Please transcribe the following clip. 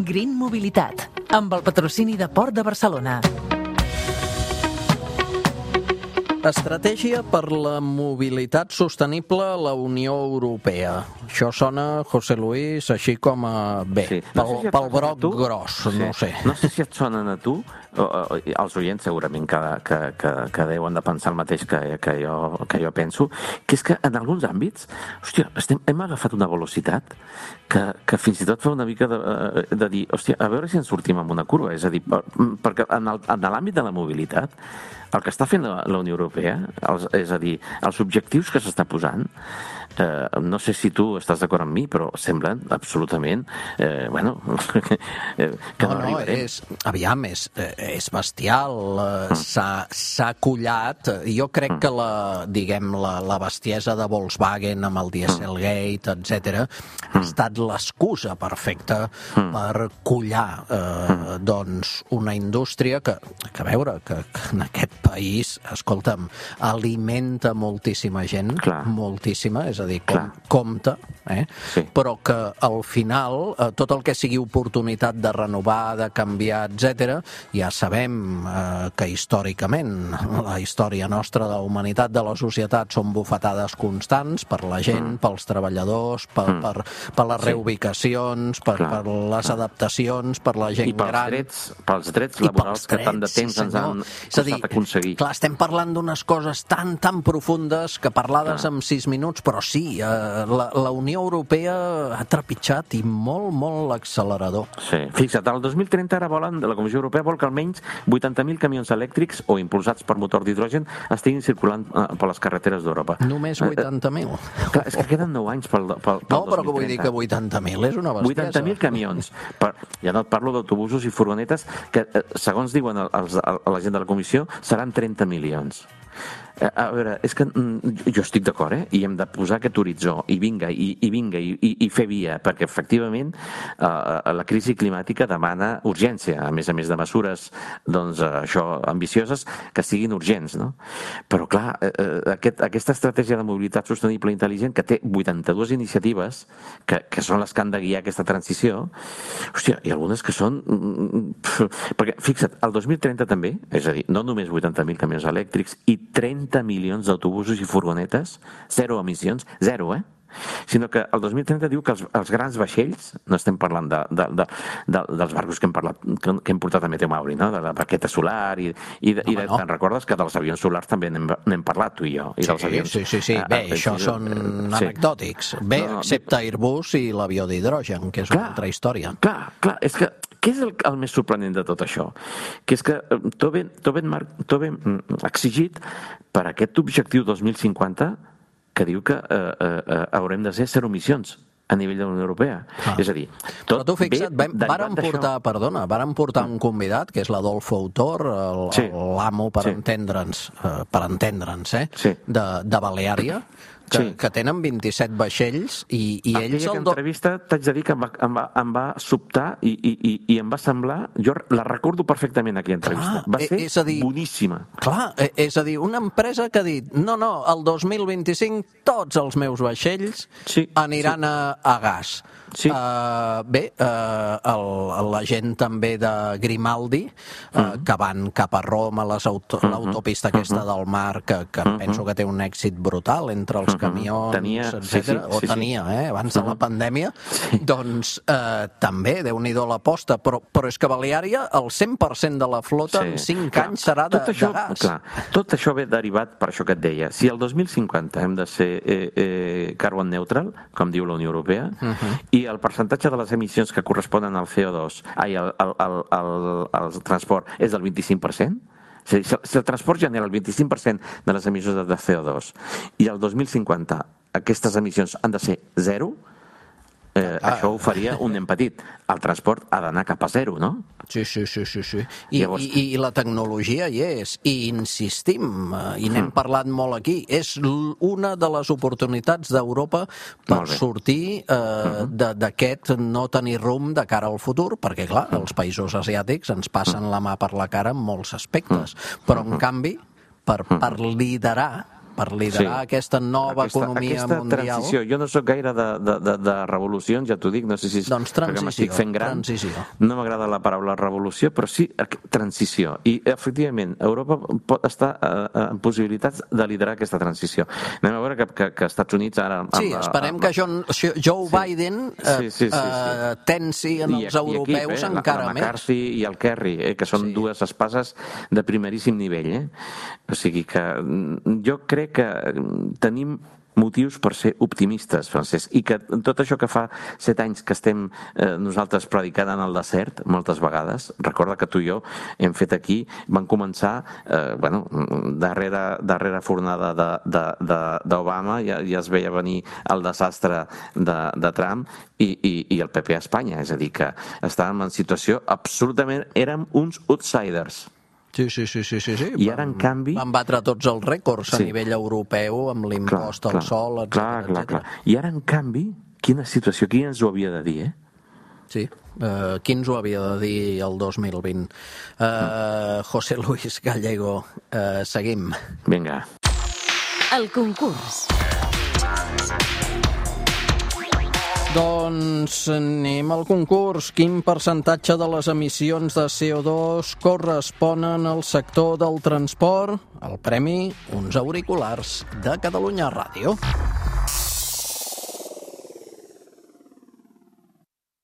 Green Mobilitat, amb el patrocini de Port de Barcelona. Estratègia per la mobilitat sostenible a la Unió Europea. Això sona, José Luis, així com a... bé, sí. Pel broc gros, sí. No sé. No sé si et sonen a tu, els oients segurament que deuen de pensar el mateix que jo penso, que és que en alguns àmbits, hòstia, hem agafat una velocitat que fins i tot fa una mica de dir, hòstia, a veure si ens sortim amb una curva. És a dir, perquè en l'àmbit de la mobilitat, el que està fent la Unió Europea, és a dir, els objectius que s'està posant, no sé si tu estàs d'acord amb mi, però semblen absolutament, que no arribarem. Aviam, és bestial, s'ha collat. Jo crec que la bestiesa de Volkswagen amb el Dieselgate, etc., ha estat l'excusa perfecta per collar una indústria que a veure, que en aquest país, escolta'm, alimenta moltíssima gent, moltíssima, és a dir, compta, sí. Però que al final tot el que sigui oportunitat de renovar, de canviar, etc., ja sabem que històricament la història nostra de la humanitat, de la societat, són bufetades constants per la gent, pels treballadors, per les reubicacions, per les adaptacions, per la gent gran. I pels drets laborals que tant de temps ens han costat aconseguir. Clar, estem parlant d'unes coses tan profundes que parlades en 6 minuts, però sí, la Unió Europea ha trepitjat i molt l'accelerador. Sí, fixa't, el 2030 ara la Comissió Europea vol que almenys 80.000 camions elèctrics o impulsats per motor d'hidrogen estiguin circulant per les carreteres d'Europa. Només 80.000? Clar, és que queden 9 anys pel 2030. No, però que vull dir que 80.000 és una bestiesa. 80.000 camions. Ja no et parlo d'autobusos i furgonetes que, segons diuen la gent de la Comissió, seran 30 milions. A veure, és que jo estic d'acord, i hem de posar aquest horitzó, i vinga, i fer via, perquè efectivament la crisi climàtica demana urgència, a més de mesures, doncs, això, ambicioses, que siguin urgents, no? Però, clar, aquesta estratègia de mobilitat sostenible i intel·ligent, que té 82 iniciatives, que són les que han de guiar aquesta transició, hòstia, hi ha algunes que són... Perquè, fixa't, el 2030 també, és a dir, no només 80.000 camions elèctrics i 30 milions d'autobusos i furgonetes, 0 emissions, 0, sinó que el 2030 diu que els grans vaixells, no estem parlant dels barcos que hem portat a Meteo Mauri, no? De la barqueta solar te'n recordes que dels avions solars també n'hem parlat tu i jo? Sí. Bé, això són anecdòtics. Bé, excepte Airbus i l'avió d'hidrogen, que és una altra història. Clar, és que què és el més sorprenent de tot això? Que és que tot ben exigit per aquest objectiu 2050 que diu que haurem de ser 0 emissions a nivell de la Unió Europea. És a dir, tot tu fixa't, vàrem portar un convidat, que és l'Adolfo Autor, l'amo, per entendre'ns, de Baleària, que tenen 27 vaixells i ells... Aquella entrevista, t'haig de dir que em va sobtar i em va semblar... Jo la recordo perfectament, aquella entrevista. Va ser boníssima. Clar, és a dir, una empresa que ha dit no, el 2025 tots els meus vaixells aniran a gas. Bé, la gent també de Grimaldi, que van cap a Roma, l'autopista aquesta del mar, que penso que té un èxit brutal entre els camions, etc. O tenia, abans de la pandèmia. Doncs també, Déu-n'hi-do l'aposta, però és que Baleària, el 100% de la flota en 5 anys serà de gas. Tot això ve derivat per això que et deia. Si el 2050 hem de ser carbon neutral, com diu la Unió Europea, i el percentatge de les emissions que corresponen al CO2, al transport, és del 25%, és a dir, si el transport genera el 25% de les emissions de CO2 i el 2050 aquestes emissions han de ser 0, això ho faria un nen petit. El transport ha d'anar cap a 0, no? Sí. I la tecnologia hi és. I insistim, i n'hem parlat molt aquí, és una de les oportunitats d'Europa per sortir d'aquest no tenir rumb de cara al futur, perquè, clar, els països asiàtics ens passen la mà per la cara en molts aspectes. Però, en canvi, per liderar per liderar aquesta nova economia mundial. Transició. Jo no sóc gaire de revolucions, ja t'ho dic, no sé si és perquè m'estic fent gran. No m'agrada la paraula revolució, però sí transició. I, efectivament, Europa pot estar en possibilitats de liderar aquesta transició. Anem a veure que Estats Units ara... Sí, esperem que Joe Biden tensi en els europeus encara més. La McCarthy i el Kerry, que són dues espases de primeríssim nivell. O sigui que jo crec que tenim motius per ser optimistes, Francesc, i que tot això que fa 7 anys que estem nosaltres predicant en el desert, moltes vegades, recorda que tu i jo hem fet aquí, van començar, darrere fornada d'Obama, ja es veia venir el desastre de Trump i el PP a Espanya, és a dir, que estàvem en situació absolutament, érem uns outsiders. Sí. I ara, en canvi... Van batre tots els rècords a nivell europeu amb l'impost al sol, etc. Clar. I ara, en canvi, quina situació, qui ens ho havia de dir, Sí, qui ens ho havia de dir el 2020? José Luis Gallego, seguim. Vinga. El concurs. Doncs anem al concurs. Quin percentatge de les emissions de CO2 corresponen al sector del transport? El premi, uns auriculars de Catalunya Ràdio.